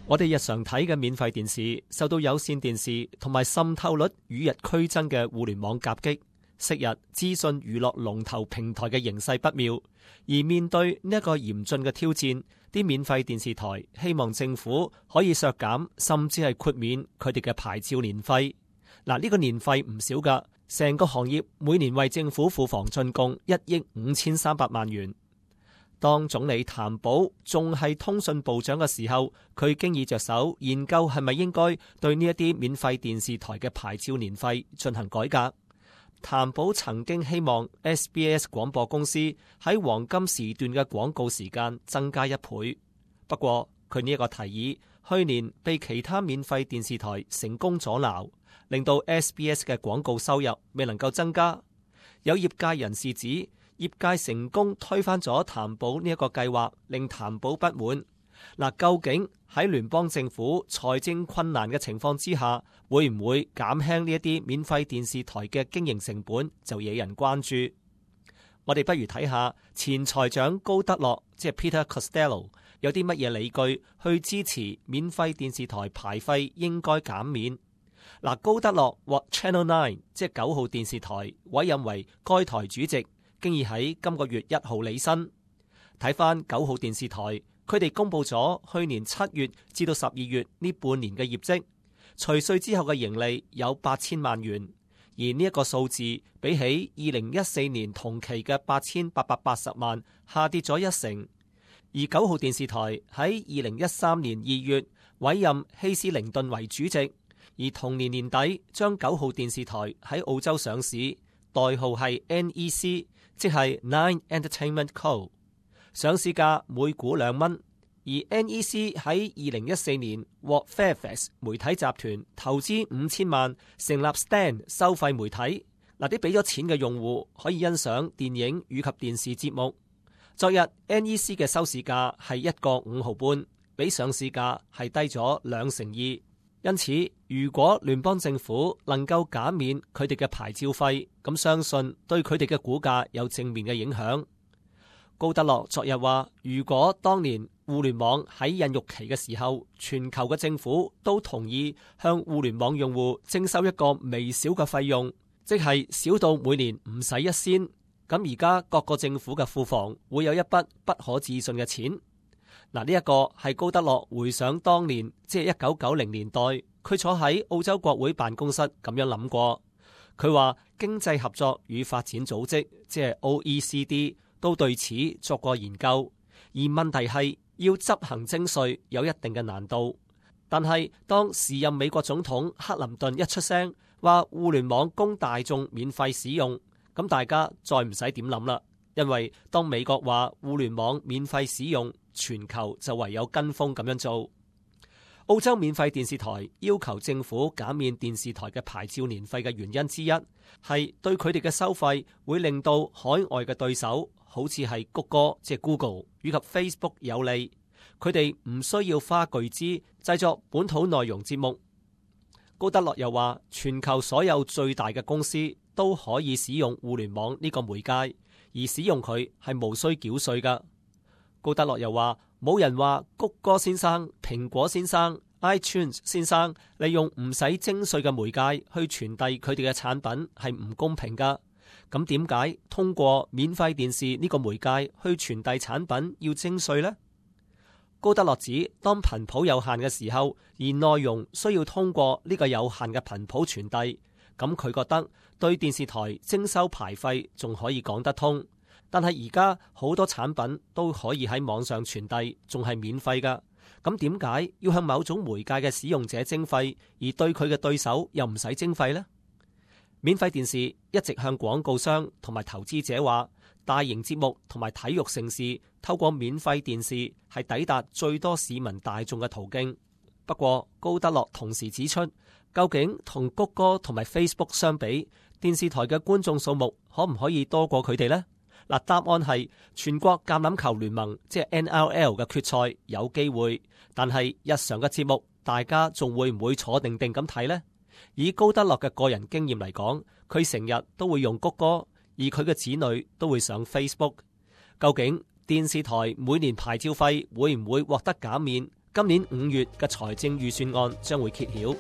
我哋日常睇嘅免費電視受到有線電視同埋滲透率與日俱增嘅互聯網夾擊，昔日資訊娛樂龍頭平台嘅形勢不妙，而面對呢一個嚴峻嘅挑戰，啲免費電視台希望政府可以削減甚至係豁免佢哋嘅牌照年費。嗱，呢個年費唔少㗎，成個行業每年為政府庫房進貢1億5300萬元。當總理譚寶仲係通訊部長嘅時候，佢經已着手研究係咪應該對呢一啲免費電視台嘅牌照年費進行改革。譚寶曾經希望 SBS 廣播公司喺黃金時段嘅廣告時間增加1倍，不過佢呢一個提議去年被其他免費電視台成功阻撓，令到 SBS 嘅廣告收入未能夠增加。有業界人士指，業界成功推翻咗譚寶呢一個計劃，令譚寶不滿。嗱，究竟喺聯邦政府財政困難嘅情況之下，會唔會減輕呢一啲免費電視台嘅經營成本，就惹人關注。我哋不如睇下前財長高德樂，即係 Peter Costello， 有啲乜嘢理據去支持免費電視台牌費應該減免。嗱，高德樂獲 Channel 9， 即係9號電視台委任為該台主席，經已喺今個月1號履新。睇翻9號電視台，佢哋公布咗去年7月至到12月呢半年嘅業績，除稅之後嘅盈利有8000萬元，而呢一個數字比起2014年同期嘅8880萬下跌咗1成。而9號電視台喺2013年2月委任希斯靈頓為主席，而同年年底將9號電視台喺澳洲上市，代號係 NEC， 即係 Nine Entertainment Co。 上市價每股2蚊。而 NEC 喺2014年獲 Fairfax 媒體集團投資5000萬成立 Stan 收費媒體，嗱，啲俾咗錢嘅用戶可以欣賞電影以及電視節目。昨日 NEC 嘅收市價係1個5毫半，比上市價係低咗2%。因此，如果聯邦政府能夠減免佢哋嘅牌照費，咁相信對佢哋嘅股價有正面嘅影響。高德樂昨日話，如果當年互聯網喺孕育期嘅時候，全球嘅政府都同意向互聯網用戶徵收一個微小嘅費用，即係少到每年唔使1仙，咁而家各個政府嘅庫房會有一筆不可置信嘅錢。嗱，呢一個係高德樂回想當年，即係1990年代，佢坐喺澳洲國會辦公室咁樣諗過。佢話經濟合作與發展組織，即係 OECD，都對此作過研究，而問題係要執行徵稅有一定嘅難度。但係當時任美國總統克林頓一出聲話互聯網供大眾免費使用，咁大家再唔使點諗啦，因為當美國話互聯網免費使用，全球就唯有跟風咁樣做。澳洲免費電視台要求政府減免電視台嘅牌照年費嘅原因之一，係對佢哋嘅收費會令到海外嘅對手，好似係谷歌即係 Google 以及 Facebook 有利，佢哋唔需要花巨資製作本土內容節目。高德樂又話，全球所有最大嘅公司都可以使用互聯網呢個媒介，而使用佢係無需繳稅㗎。高德樂又話，冇人話谷歌先生、蘋果先生、iTunes 先生利用唔使徵稅嘅媒介去傳遞佢哋嘅產品係唔公平㗎。咁點解通過免費電視呢個媒介去傳遞產品要徵稅呢？高德樂指，當頻譜有限嘅時候，而內容需要通過呢個有限嘅頻譜傳遞，咁佢覺得對電視台徵收牌費仲可以講得通。但係而家好多產品都可以喺網上傳遞，仲係免費㗎。咁點解要向某種媒介嘅使用者徵費，而對佢嘅對手又唔使徵費呢？免費電視一直向廣告商同埋投資者話，大型節目同埋體育盛事透過免費電視係抵達最多市民大眾嘅途徑。不過高德樂同時指出，究竟同谷歌同埋 Facebook 相比，電視台嘅觀眾數目可唔可以多過佢哋呢？嗱，答案係全國橄欖球聯盟即係 NRL 嘅決賽有機會，但係日常嘅節目大家仲會唔會坐定定咁睇呢？以高德樂嘅個人經驗嚟講，佢成日都會用谷歌，而佢嘅子女都會上 Facebook。究竟電視台每年牌照費會唔會獲得減免？今年5月嘅財政預算案將會揭曉。